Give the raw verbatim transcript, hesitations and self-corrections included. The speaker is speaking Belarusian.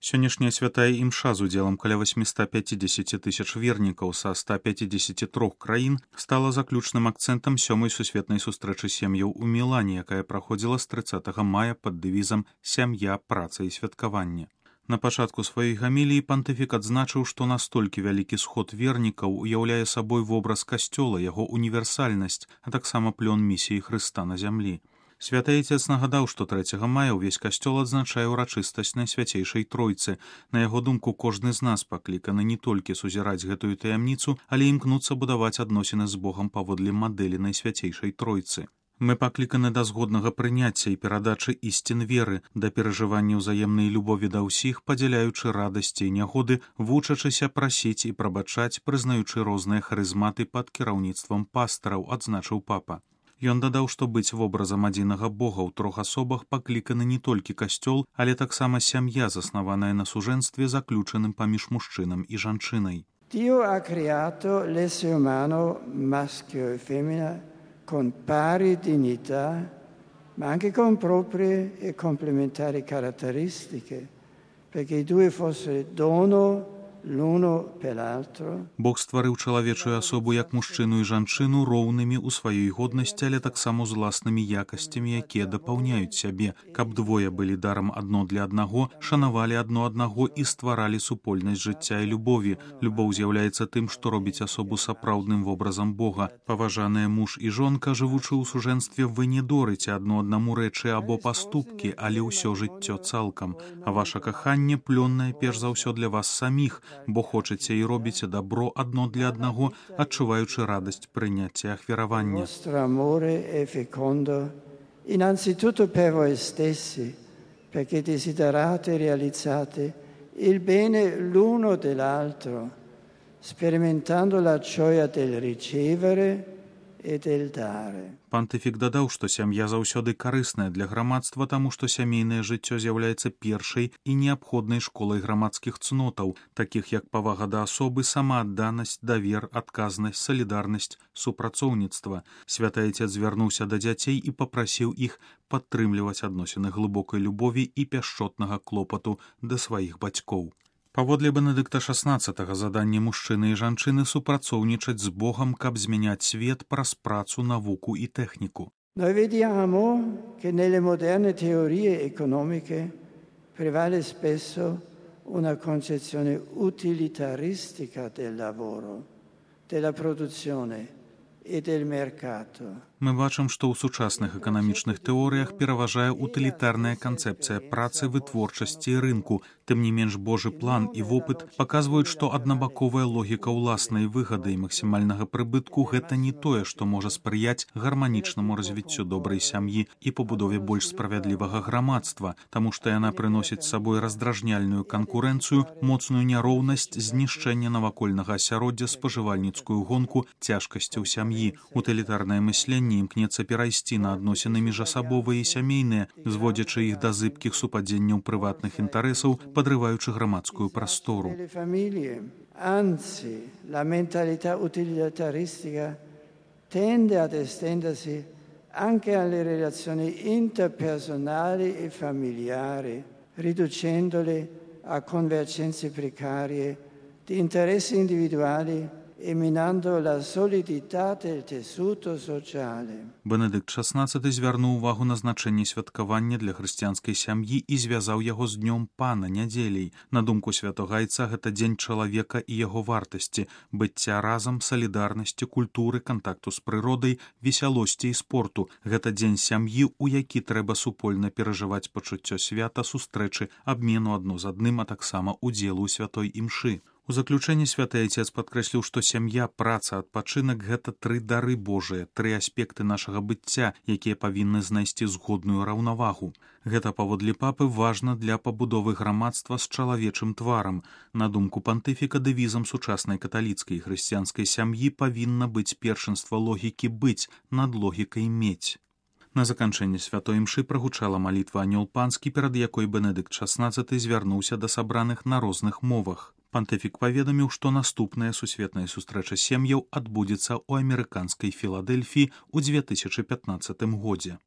Сённяшняя святая імша з удзелам каля восьмісот пяцьдзесят тысяч вернікаў са ста пяцідзесяці трох краін стала заключным акцэнтам сёмай сусветнай сустрэчы сем'яў у Мілане, якая праходзіла з трыццатага мая пад дэвізам «Сям'я, праца і святкаванне». На пачатку сваёй гаміліі пантыфік адзначыў, што настолькі вялікі сход вернікаў уяўляе сабой вобраз касцёла, яго універсальнасць, а таксама плён місіі Хрыста на зямлі. Святы Айцец нагадаў, што трэцяга мая ўвесь касцёл адзначае ўрачыстасць Найсвяцейшай Тройцы. На яго думку, кожны з нас пакліканы не толькі сузіраць гэтую таямніцу, але імкнуцца будаваць адносіны з Богам паводле мадэлі Найсвяцейшай Тройцы. Мы пакліканы да згоднага прыняцця і перадачы ісцін веры, да перажывання ўзаемнай любові да ўсіх, падзяляючы радасці і нягоды, вучачыся прасіць і прабачаць, прызнаючы розныя харызматы пад кіраўніцтвам пастараў, адзначыў папа. Ён дадаў, што быць вобразам адзінага Бога ў трох асобах пакліканы не толькі касцёл, але таксама сям'я, заснаваная на сужэнстве, заключаным паміж мужчынам і жанчынай. Dio ha creato l'essere umano maschio e femmina con pari dignità, ma anche con proprie e complementari caratteristiche, perché i due fossero dono l'uno per l'altro. Бог стварыў чалавечую асобу як мужчыну і жанчыну роўнымі ў сваёй годнасці, але таксама з уласнымі якасцямі, якія дапаўняюць сябе, каб двое былі дарам адно для аднаго, шанавалі адно аднаго і стваралі супольнасць жыцця і любові. Любоў з'яўляецца тым, што робіць асобу сапраўдным вобразам Бога. Паважаныя муж і жонка, жывучы ў сужэнстве, вы не дорыце адно аднаму рэчы або паступкі, але ўсё жыццё цалкам. А ваша каханне плённае перш за ўсё для вас саміх, бо хочаце і робіце добро адно для аднаго, адчуваючы радасць прыняцця ахвяравання. Il vostro amore è fecondo innanzitutto per voi stessi, perché desiderate e realizzate il bene l'uno dell'altro, sperimentando la gioia del ricevere e del dare. Пантыфік дадаў, што сям'я заўсёды карысная для грамадства, таму што сямейнае жыццё з'яўляецца першай і неабходнай школай грамадскіх цнотаў, такіх як павага да асобы, самаадданасць, давер, адказнасць, салідарнасць, супрацоўніцтва. Святы Айцец звярнуўся да дзяцей і папрасіў іх падтрымліваць адносіны глыбокай любові і пяшчотнага клопату да сваіх бацькоў. Паводле Бенедыкта шаснаццатага заданне мужчыны і жанчыны супрацоўнічаць з Богам, каб змяняць свет праз працу, навуку і тэхніку. Noi vediamo che nelle moderne teorie economiche prevale spesso una concezione utilitaristica del lavoro, della produzione e del mercato. Мы бачым, што ў сучасных эканамічных тэорыях пераважае утылітарная канцэпцыя працы, вытворчасці і рынку. Тым не менш, Божы план і вопыт паказваюць, што аднабаковая логіка ўласнай выгады і максімальнага прыбытку – гэта не тое, што можа спрыяць гарманічнаму развіццю добрай сям'і і пабудове больш справядлівага грамадства, таму што яна прыносіць з сабой раздражняльную канкурэнцыю, моцную няроўнасць, знішчэнне навакольнага асяроддзя, спажывальніцкую гонку, цяжкасці ў сям'і. Утылітарнае мысленне імкнецца перайсці на адносіны міжасабовыя і сямейныя, зводзячы іх да зыбкіх супадзенняў прыватных інтарэсаў, подрываючи громадскую простору. Anzi, la mentalità utilitaristica tende ad estendersi anche alle relazioni interpersonali e familiari, riducendole a convergenze precarie di interessi individuali e minando la solidità del tessuto sociale. Бенедыкт шаснаццаты звярнуў увагу на значэнне святкавання для хрысціянскай сям'і і звязаў яго з днём Пана, нядзеляй. На думку святога Айца, гэта дзень чалавека і яго вартасці, быцця разам, салідарнасці, культуры, кантакту з прыродай, весялосці і спорту. Гэта дзень сям'і, у які трэба супольна перажываць пачуццё свята, сустрэчы, абмену адно з адным, а таксама удзелу ў святой імшы. У заключэнні святы Айцец падкрэсліў, што сям'я, праца, адпачынак – гэта тры дары Божыя, тры аспекты нашага быцця, якія павінны знайсці згодную раўнавагу. Гэта, паводле папы, важна для пабудовы грамадства з чалавечым тварам. На думку пантыфіка, дэвізам сучаснай каталіцкай і хрысціянскай сям'і павінна быць першынства логікі быць над логікай мець. На заканчэнне святой імшы прагучала малітва Анёл Панскі, перад якой Бенедыкт шаснаццаты звярнуўся да сабраных на розных мовах. Пантыфік паведаміў, што наступная сусветная сустрэча сем'яў адбудзецца ў амерыканскай Філадэльфіі ў дзве тысячы пятнаццатым годзе.